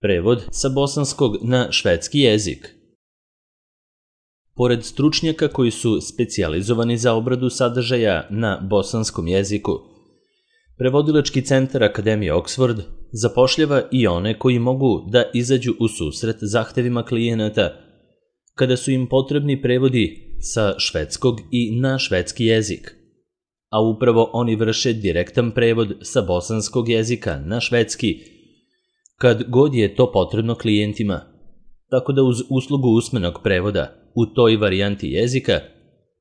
Prevod sa bosanskog na švedski jezik. Pored stručnjaka koji su specijalizovani za obradu sadržaja na bosanskom jeziku, Prevodilački centar Akademije Oxford zapošljava i one koji mogu da izađu u susret zahtevima klijenata kada su im potrebni prevodi sa švedskog i na švedski jezik, a upravo oni vrše direktan prevod sa bosanskog jezika na švedski kad god je to potrebno klijentima, tako da uz uslugu usmenog prevoda u toj varijanti jezika,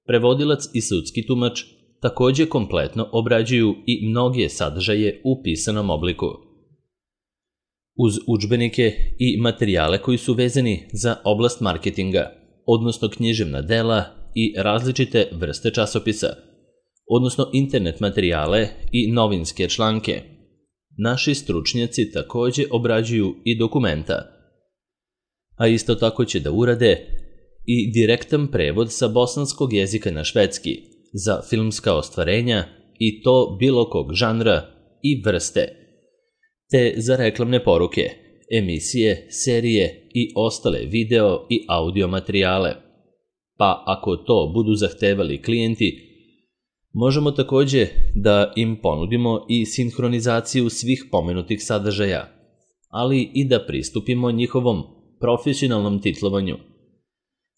prevodilac i sudski tumač takođe kompletno obrađuju i mnoge sadržaje u pisanom obliku. Uz udžbenike i materijale koji su vezani za oblast marketinga, odnosno književna dela i različite vrste časopisa, odnosno internet materijale i novinske članke, naši stručnjaci takođe obrađuju i dokumenta, a isto tako će da urade i direktan prevod sa bosanskog jezika na švedski za filmska ostvarenja i to bilo kog žanra i vrste, te za reklamne poruke, emisije, serije i ostale video i audio materijale. Pa ako to budu zahtevali klijenti, možemo takođe da im ponudimo i sinhronizaciju svih pomenutih sadržaja, ali i da pristupimo njihovom profesionalnom titlovanju,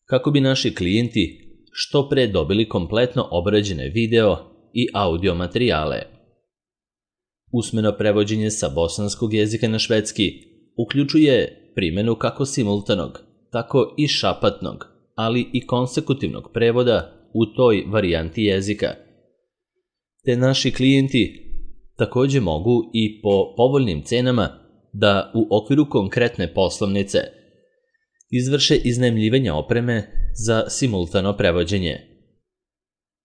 kako bi naši klijenti što pre dobili kompletno obrađene video i audio materijale. Usmeno prevođenje sa bosanskog jezika na švedski uključuje primenu kako simultanog, tako i šapatnog, ali i konsekutivnog prevoda u toj varijanti jezika. Te naši klijenti takođe mogu i po povoljnim cenama da u okviru konkretne poslovnice izvrše iznajmljivanje opreme za simultano prevođenje.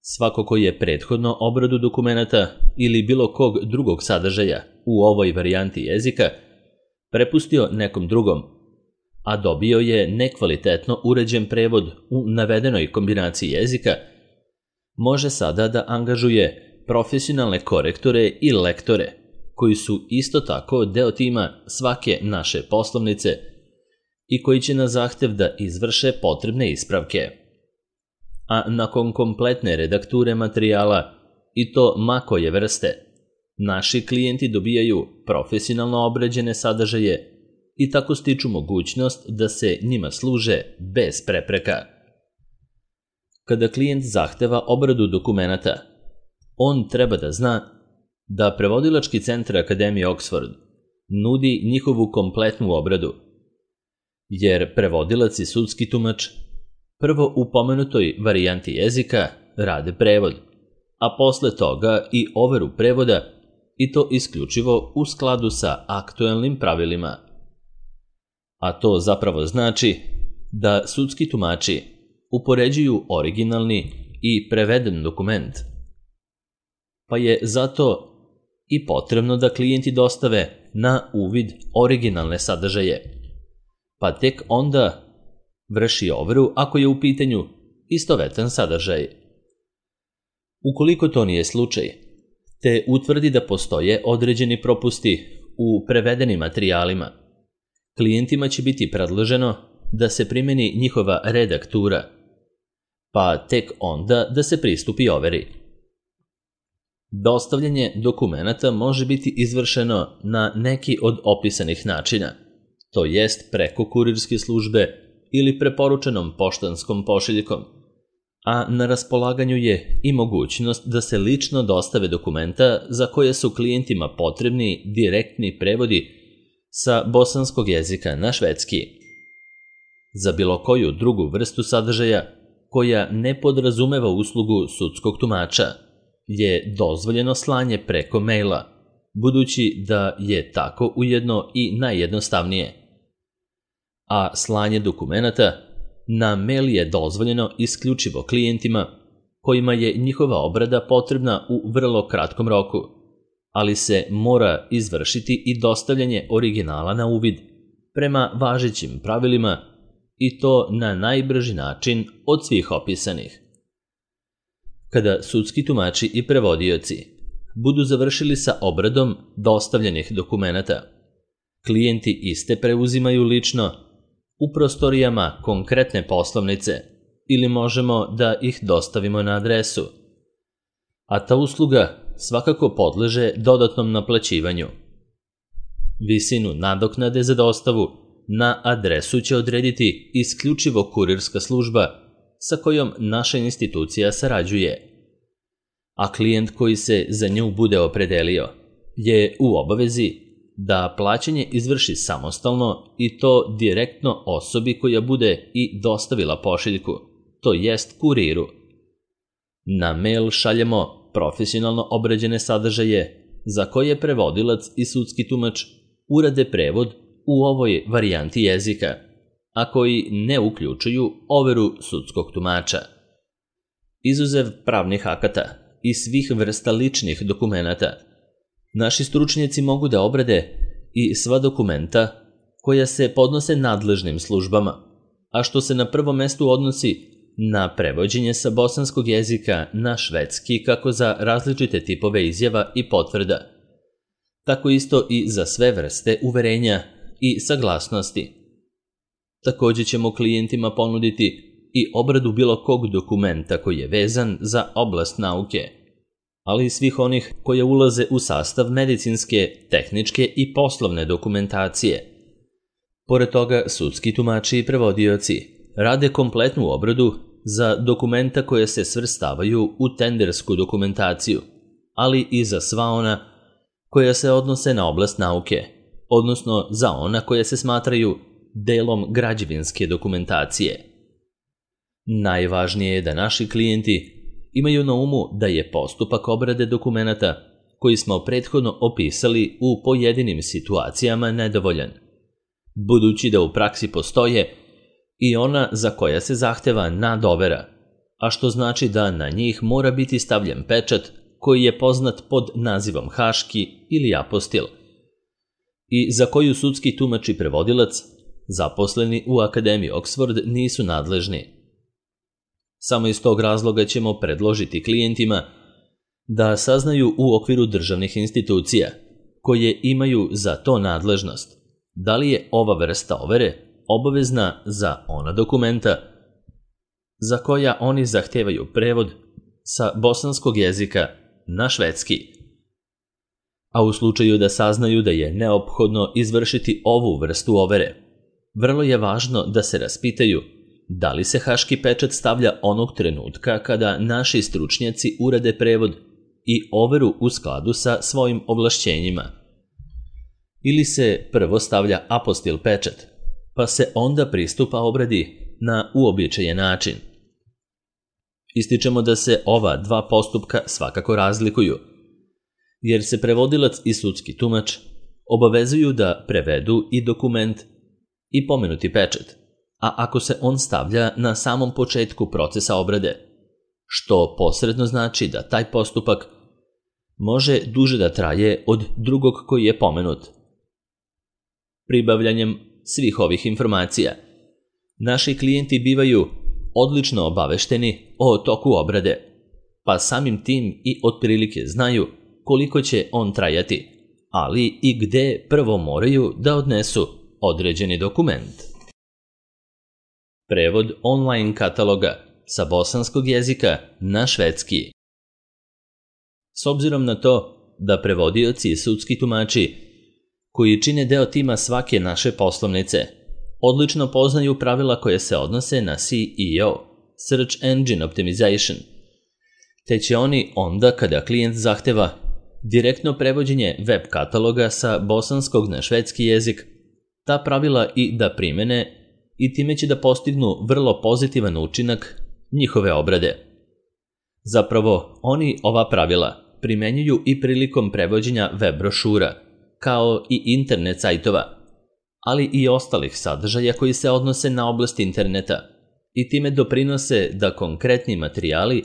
Svako ko je prethodno obradu dokumenata ili bilo kog drugog sadržaja u ovoj varijanti jezika prepustio nekom drugom, a dobio je nekvalitetno uređen prevod u navedenoj kombinaciji jezika, može sada da angažuje profesionalne korektore i lektore, koji su isto tako deo tima svake naše poslovnice i koji će na zahtev da izvrše potrebne ispravke. A nakon kompletne redakture materijala, i to ma koje vrste, naši klijenti dobijaju profesionalno obrađene sadržaje i tako stiču mogućnost da se njima služe bez prepreka. Kada klijent zahteva obradu dokumenata, on treba da zna da Prevodilački centar Akademije Oxford nudi njihovu kompletnu obradu, jer prevodilac i sudski tumač prvo u pomenutoj varijanti jezika rade prevod, a posle toga i overu prevoda, i to isključivo u skladu sa aktuelnim pravilima. A to zapravo znači da sudski tumači upoređuju originalni i preveden dokument, pa je zato i potrebno da klijenti dostave na uvid originalne sadržaje, pa tek onda vrši overu ako je u pitanju istovetan sadržaj. Ukoliko to nije slučaj, te utvrdi da postoje određeni propusti u prevedenim materijalima, klijentima će biti predloženo da se primeni njihova redaktura, pa tek onda da se pristupi overi. Dostavljanje dokumenata može biti izvršeno na neki od opisanih načina, to jest preko kurirske službe ili preporučenom poštanskom pošiljkom, a na raspolaganju je i mogućnost da se lično dostave dokumenta za koje su klijentima potrebni direktni prevodi sa bosanskog jezika na švedski. Za bilo koju drugu vrstu sadržaja koja ne podrazumeva uslugu sudskog tumača je dozvoljeno slanje preko maila, budući da je tako ujedno i najjednostavnije. A slanje dokumenata na mail je dozvoljeno isključivo klijentima kojima je njihova obrada potrebna u vrlo kratkom roku, ali se mora izvršiti i dostavljanje originala na uvid prema važećim pravilima i to na najbrži način od svih opisanih. Kada sudski tumači i prevodioci budu završili sa obradom dostavljenih dokumenata, Klijenti iste preuzimaju lično u prostorijama konkretne poslovnice ili možemo da ih dostavimo na adresu. A ta usluga svakako podleže dodatnom naplaćivanju. Visinu nadoknade za dostavu na adresu će odrediti isključivo kurirska služba sa kojom naša institucija sarađuje, a klijent koji se za nju bude opredelio je u obavezi da plaćanje izvrši samostalno i to direktno osobi koja bude i dostavila pošiljku, to jest kuriru. Na mail šaljemo profesionalno obrađene sadržaje za koje prevodilac i sudski tumač urade prevod u ovoj varijanti jezika, a koji ne uključuju overu sudskog tumača. Izuzev pravnih akata i svih vrsta ličnih dokumenata, naši stručnjaci mogu da obrade i sva dokumenta koja se podnose nadležnim službama, a što se na prvom mestu odnosi na prevođenje sa bosanskog jezika na švedski kako za različite tipove izjava i potvrda, tako isto i za sve vrste uverenja i saglasnosti. Također ćemo klijentima ponuditi i obradu bilo kog dokumenta koji je vezan za oblast nauke, ali i svih onih koje ulaze u sastav medicinske, tehničke i poslovne dokumentacije. Pored toga, sudski tumači i prevodioci rade kompletnu obradu za dokumenta koje se svrstavaju u tendersku dokumentaciju, ali i za sva ona koja se odnose na oblast nauke, odnosno za ona koja se smatraju delom građevinske dokumentacije. Najvažnije je da naši klijenti imaju na umu da je postupak obrade dokumenata koji smo prethodno opisali u pojedinim situacijama nedovoljan, budući da u praksi postoje i ona za koja se zahteva nadovera, a što znači da na njih mora biti stavljen pečat koji je poznat pod nazivom haški ili apostil i za koju sudski tumač i prevodilac zaposleni u Akademiji Oxford nisu nadležni. Samo iz tog razloga ćemo predložiti klijentima da saznaju u okviru državnih institucija koje imaju za to nadležnost da li je ova vrsta overe obavezna za ona dokumenta za koja oni zahtevaju prevod sa bosanskog jezika na švedski. A u slučaju da saznaju da je neophodno izvršiti ovu vrstu overe, vrlo je važno da se raspitaju da li se haški pečat stavlja onog trenutka kada naši stručnjaci urade prevod i overu u skladu sa svojim ovlašćenjima, ili se prvo stavlja apostil pečat, pa se onda pristupa obradi na uobičajen način. Ističemo da se ova dva postupka svakako razlikuju, jer se prevodilac i sudski tumač obavezuju da prevedu i dokument i pomenuti pečat, a ako se on stavlja na samom početku procesa obrade, što posredno znači da taj postupak može duže da traje od drugog koji je pomenut. Pribavljanjem svih ovih informacija, naši klijenti bivaju odlično obavešteni o toku obrade, pa samim tim i otprilike znaju koliko će on trajati, ali i gde prvo moraju da odnesu određeni dokument. Prevod online kataloga sa bosanskog jezika na švedski. S obzirom na to da prevodioci i sudski tumači koji čine deo tima svake naše poslovnice odlično poznaju pravila koje se odnose na SEO, Search Engine Optimization, te će oni onda kada klijent zahteva direktno prevođenje web kataloga sa bosanskog na švedski jezik, ta pravila i da primene i time će da postignu vrlo pozitivan učinak njihove obrade. Zapravo, oni ova pravila primenjuju i prilikom prevođenja web brošura, kao i internet sajtova, ali i ostalih sadržaja koji se odnose na oblast interneta i time doprinose da konkretni materijali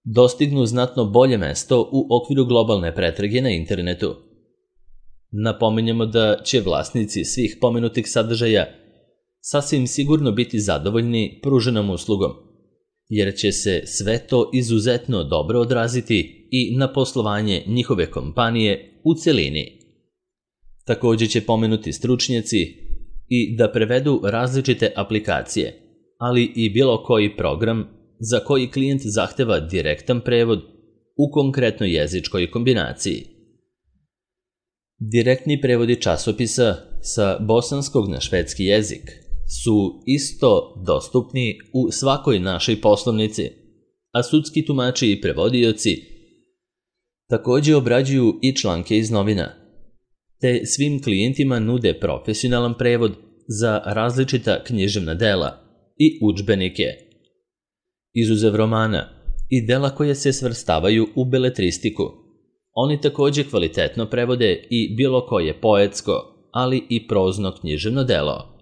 dostignu znatno bolje mesto u okviru globalne pretrage na internetu. Napominjemo da će vlasnici svih pomenutih sadržaja sasvim sigurno biti zadovoljni pruženom uslugom, jer će se sve to izuzetno dobro odraziti i na poslovanje njihove kompanije u celini. Takođe će pomenuti stručnjaci i da prevedu različite aplikacije, ali i bilo koji program za koji klijent zahteva direktan prevod u konkretnoj jezičkoj kombinaciji. Direktni prevodi časopisa sa bosanskog na švedski jezik su isto dostupni u svakoj našoj poslovnici, a sudski tumači i prevodioci takođe obrađuju i članke iz novina, te svim klijentima nude profesionalan prevod za različita književna dela i udžbenike. Izuzev romana i dela koje se svrstavaju u beletristiku, oni takođe kvalitetno prevode i bilo koje poetsko, ali i prozno književno delo.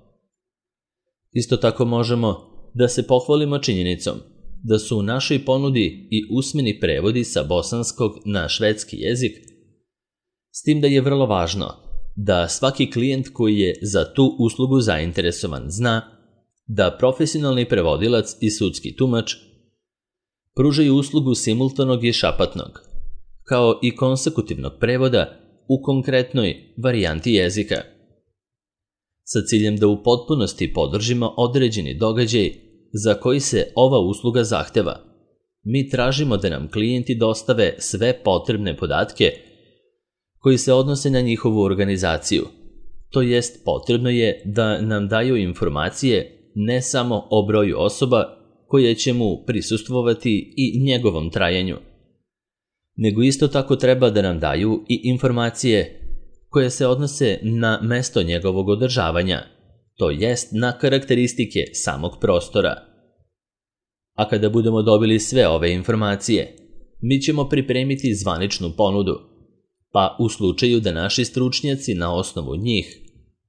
Isto tako možemo da se pohvalimo činjenicom da su u našoj ponudi i usmeni prevodi sa bosanskog na švedski jezik, s tim da je vrlo važno da svaki klijent koji je za tu uslugu zainteresovan zna da profesionalni prevodilac i sudski tumač pružaju uslugu simultanog i šapatnog, kao i konsekutivnog prevoda u konkretnoj varijanti jezika, sa ciljem da u potpunosti podržimo određeni događaj za koji se ova usluga zahteva. Mi tražimo da nam klijenti dostave sve potrebne podatke koji se odnose na njihovu organizaciju. To jest, potrebno je da nam daju informacije ne samo o broju osoba koje će mu prisustvovati i njegovom trajanju, nego isto tako treba da nam daju i informacije koje se odnose na mesto njegovog održavanja, to jest na karakteristike samog prostora. A kada budemo dobili sve ove informacije, mi ćemo pripremiti zvaničnu ponudu, pa u slučaju da naši stručnjaci na osnovu njih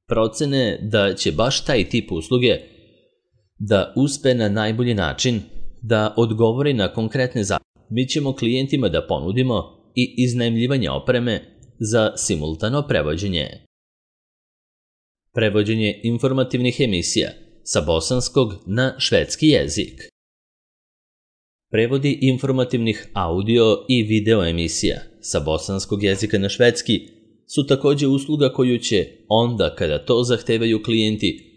procene da će baš taj tip usluge da uspe na najbolji način da odgovori na konkretne zahtjeve, mi ćemo klijentima da ponudimo i iznajmljivanje opreme za simultano prevođenje. Prevođenje informativnih emisija sa bosanskog na švedski jezik. Prevodi informativnih audio i video emisija sa bosanskog jezika na švedski su takođe usluga koju će, onda kada to zahtevaju klijenti,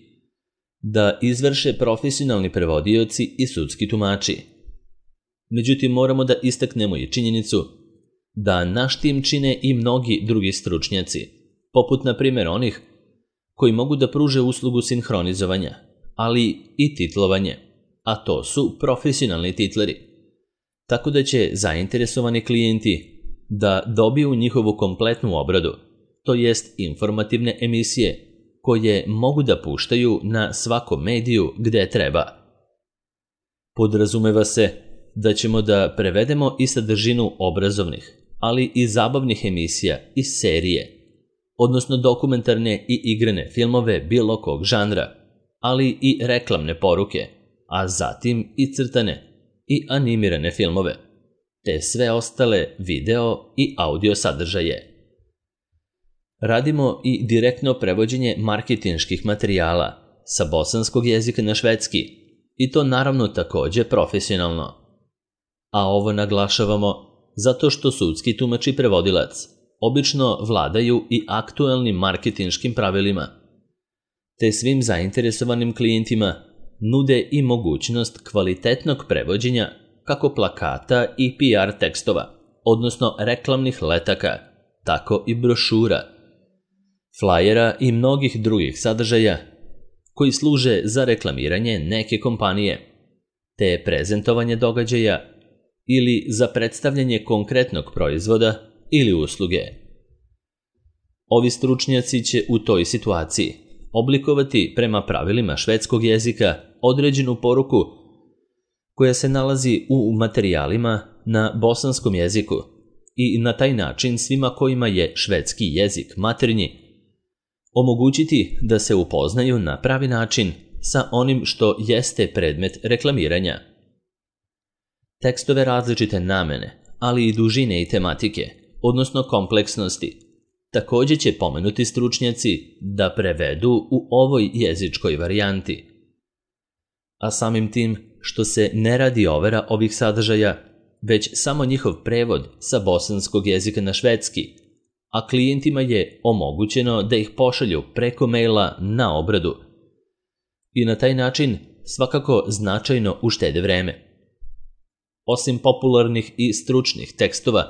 da izvrše profesionalni prevodioci i sudski tumači. Međutim, moramo da istaknemo i činjenicu da naš tim čine i mnogi drugi stručnjaci, poput na primjer onih koji mogu da pruže uslugu sinhronizovanja, ali i titlovanje, a to su profesionalni titleri. Tako da će zainteresovani klijenti da dobiju njihovu kompletnu obradu, to jest informativne emisije koje mogu da puštaju na svakom mediju gde treba. Podrazumeva se da ćemo da prevedemo i sadržinu obrazovnih, ali i zabavnih emisija i serije, odnosno dokumentarne i igrane filmove bilo kog žanra, ali i reklamne poruke, a zatim i crtane i animirane filmove, te sve ostale video i audio sadržaje. Radimo i direktno prevođenje marketinških materijala sa bosanskog jezika na švedski, i to naravno takođe profesionalno. A ovo naglašavamo zato što sudski tumač i prevodilac obično vladaju i aktuelnim marketinškim pravilima, te svim zainteresovanim klijentima nude i mogućnost kvalitetnog prevođenja kako plakata i PR tekstova, odnosno reklamnih letaka, tako i brošura, flajera i mnogih drugih sadržaja koji služe za reklamiranje neke kompanije, te prezentovanje događaja ili za predstavljanje konkretnog proizvoda ili usluge. Ovi stručnjaci će u toj situaciji oblikovati prema pravilima švedskog jezika određenu poruku koja se nalazi u materijalima na bosanskom jeziku i na taj način svima kojima je švedski jezik maternji omogućiti da se upoznaju na pravi način sa onim što jeste predmet reklamiranja. Tekstove različite namene, ali i dužine i tematike, odnosno kompleksnosti, takođe će pomenuti stručnjaci da prevedu u ovoj jezičkoj varijanti. A samim tim što se ne radi overa ovih sadržaja, već samo njihov prevod sa bosanskog jezika na švedski, a klijentima je omogućeno da ih pošalju preko maila na obradu i na taj način svakako značajno uštede vreme. Osim popularnih i stručnih tekstova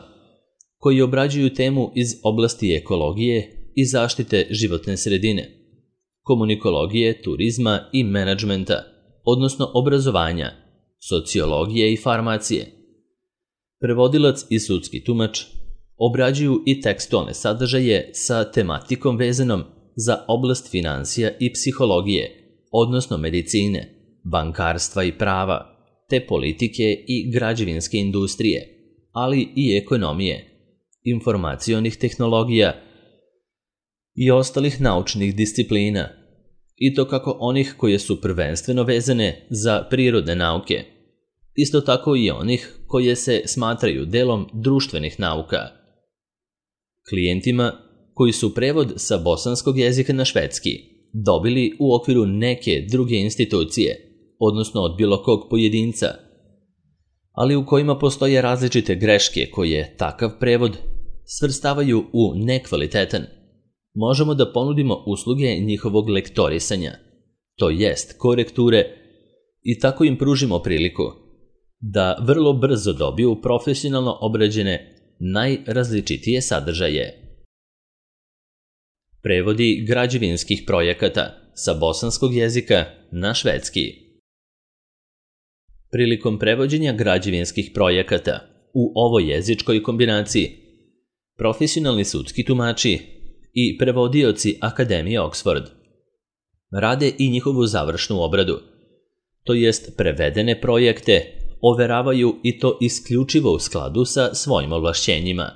koji obrađuju temu iz oblasti ekologije i zaštite životne sredine, komunikologije, turizma i menadžmenta, odnosno obrazovanja, sociologije i farmacije, prevodilac i sudski tumač obrađuju i tekstualne sadržaje sa tematikom vezanom za oblast finansija i psihologije, odnosno medicine, bankarstva i prava, te politike i građevinske industrije, ali i ekonomije, informacionih tehnologija i ostalih naučnih disciplina, i to kako onih koje su prvenstveno vezane za prirodne nauke, isto tako i onih koje se smatraju delom društvenih nauka. Klijentima koji su prevod sa bosanskog jezika na švedski dobili u okviru neke druge institucije, odnosno od bilo kog pojedinca, ali u kojima postoje različite greške koje takav prevod svrstavaju u nekvalitetan, možemo da ponudimo usluge njihovog lektorisanja, to jest korekture, i tako im pružimo priliku da vrlo brzo dobiju profesionalno obrađene najrazličitije sadržaje. Prevodi građevinskih projekata sa bosanskog jezika na švedski. Prilikom prevođenja građevinskih projekata u ovoj jezičkoj kombinaciji, profesionalni sudski tumači i prevodioci Akademije Oxford rade i njihovu završnu obradu, to jest prevedene projekte overavaju i to isključivo u skladu sa svojim ovlašćenjima.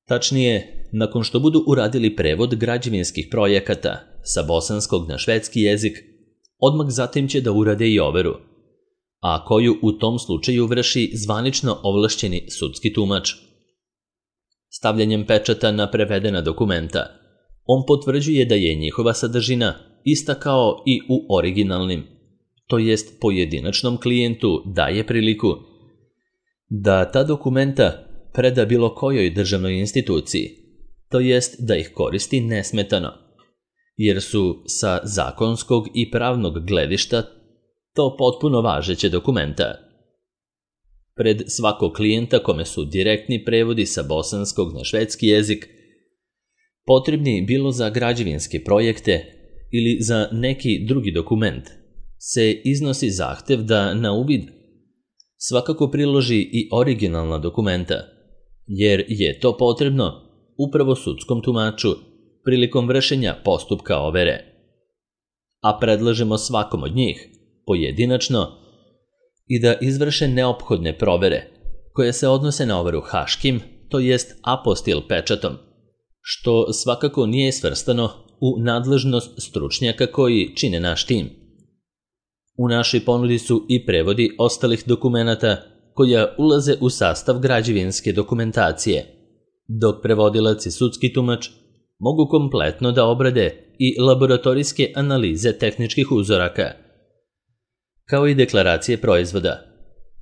Tačnije, nakon što budu uradili prevod građevinskih projekata sa bosanskog na švedski jezik, odmah zatim će da urade i overu, a koju u tom slučaju vrši zvanično ovlašćeni sudski tumač. Stavljanjem pečata na prevedena dokumenta, on potvrđuje da je njihova sadržina ista kao i u originalnim, to jest pojedinačnom klijentu daje priliku da ta dokumenta preda bilo kojoj državnoj instituciji, to jest da ih koristi nesmetano, jer su sa zakonskog i pravnog gledišta to potpuno važeće dokumenta. Pred svakog klijenta kome su direktni prevodi sa bosanskog na švedski jezik, potrebni bilo za građevinske projekte ili za neki drugi dokument, se iznosi zahtev da na uvid svakako priloži i originalna dokumenta, jer je to potrebno upravo sudskom tumaču prilikom vršenja postupka overe. A predlažemo svakom od njih, pojedinačno, i da izvrše neophodne provere, koje se odnose na overu haškim, to jest apostil pečatom, što svakako nije svrstano u nadležnost stručnjaka koji čine naš tim. U našoj ponudi su i prevodi ostalih dokumenata koja ulaze u sastav građevinske dokumentacije, dok prevodilac i sudski tumač mogu kompletno da obrade i laboratorijske analize tehničkih uzoraka, kao i deklaracije proizvoda,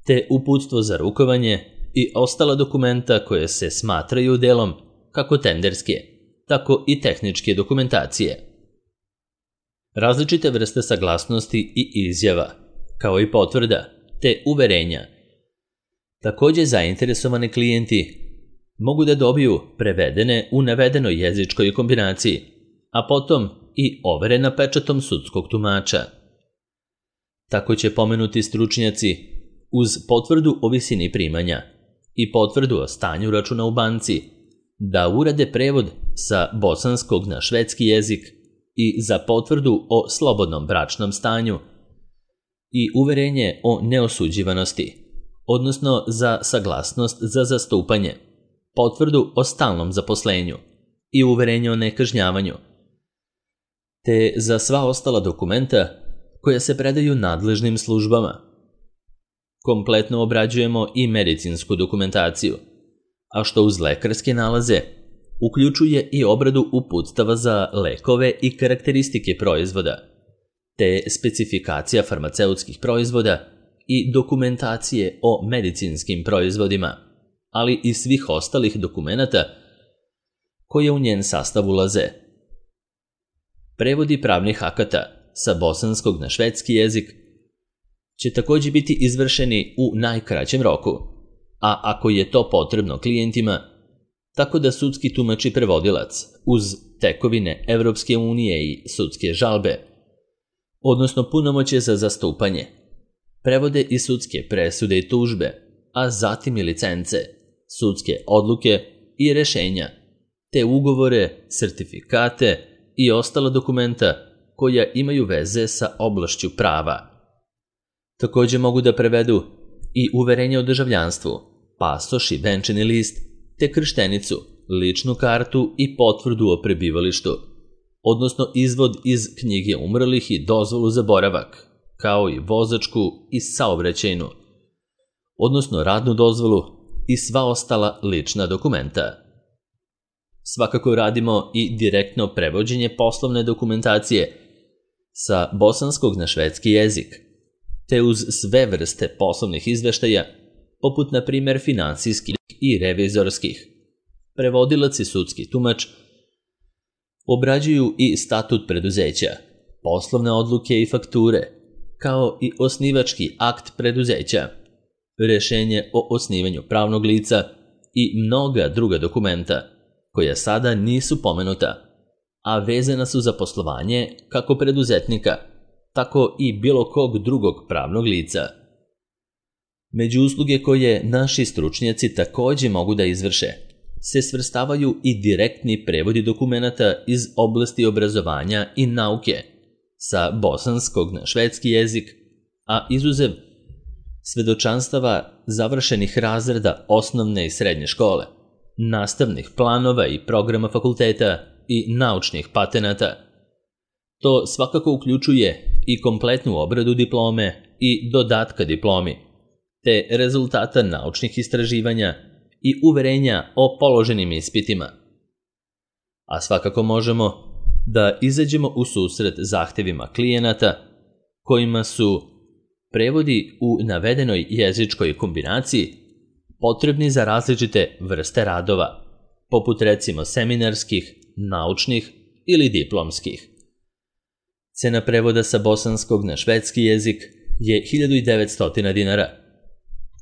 te uputstvo za rukovanje i ostala dokumenta koje se smatraju delom kako tenderske, tako i tehničke dokumentacije. Različite vrste saglasnosti i izjava, kao i potvrda, te uverenja. Takođe zainteresovani klijenti mogu da dobiju prevedene u navedenoj jezičkoj kombinaciji, a potom i overena pečatom sudskog tumača. Tako će pomenuti stručnjaci uz potvrdu o visini primanja i potvrdu o stanju računa u banci da urade prevod sa bosanskog na švedski jezik i za potvrdu o slobodnom bračnom stanju i uverenje o neosuđivanosti, odnosno za saglasnost za zastupanje, potvrdu o stalnom zaposlenju i uverenje o nekažnjavanju, te za sva ostala dokumenta koja se predaju nadležnim službama. Kompletno obrađujemo i medicinsku dokumentaciju, a što uz lekarske nalaze uključuje i obradu uputstava za lekove i karakteristike proizvoda, te specifikacija farmaceutskih proizvoda i dokumentacije o medicinskim proizvodima, ali i svih ostalih dokumenata koje u njen sastav ulaze. Prevodi pravnih akata sa bosanskog na švedski jezik će također biti izvršeni u najkraćem roku, a ako je to potrebno klijentima, tako da sudski tumač i prevodilac uz tekovine Evropske unije i sudske žalbe, odnosno punomoćje za zastupanje, prevode i sudske presude i tužbe, a zatim i licence, sudske odluke i rešenja, te ugovore, sertifikate i ostala dokumenta koja imaju veze sa oblašću prava. Također mogu da prevedu i uverenje o državljanstvu, pasoš i venčani list, te krštenicu, ličnu kartu i potvrdu o prebivalištu, odnosno izvod iz knjige umrlih i dozvolu za boravak, kao i vozačku i saobraćajnu, odnosno radnu dozvolu i sva ostala lična dokumenta. Svakako radimo i direktno prevođenje poslovne dokumentacije sa bosanskog na švedski jezik, te uz sve vrste poslovnih izveštaja, poput na primjer finansijskih i revizorskih. Prevodilac i sudski tumač obrađuju i statut preduzeća, poslovne odluke i fakture, kao i osnivački akt preduzeća, rešenje o osnivanju pravnog lica i mnoga druga dokumenta, koja sada nisu pomenuta, a vezana su za poslovanje kako preduzetnika, tako i bilo kog drugog pravnog lica. Među usluge koje naši stručnjaci također mogu da izvrše se svrstavaju i direktni prevodi dokumenata iz oblasti obrazovanja i nauke sa bosanskog na švedski jezik, a izuzev svedočanstava završenih razreda osnovne i srednje škole, nastavnih planova i programa fakulteta i naučnih patenata. To svakako uključuje i kompletnu obradu diplome i dodatka diplomi, te rezultata naučnih istraživanja i uverenja o položenim ispitima. A svakako možemo da izađemo u susret zahtevima klijenata kojima su prevodi u navedenoj jezičkoj kombinaciji potrebni za različite vrste radova, poput recimo seminarskih, naučnih ili diplomskih. Cena prevoda sa bosanskog na švedski jezik je 1900 dinara.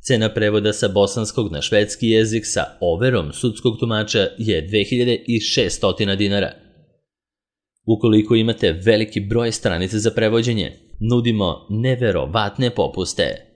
Cena prevoda sa bosanskog na švedski jezik sa overom sudskog tumača je 2600 dinara. Ukoliko imate veliki broj stranica za prevođenje, nudimo neverovatne popuste.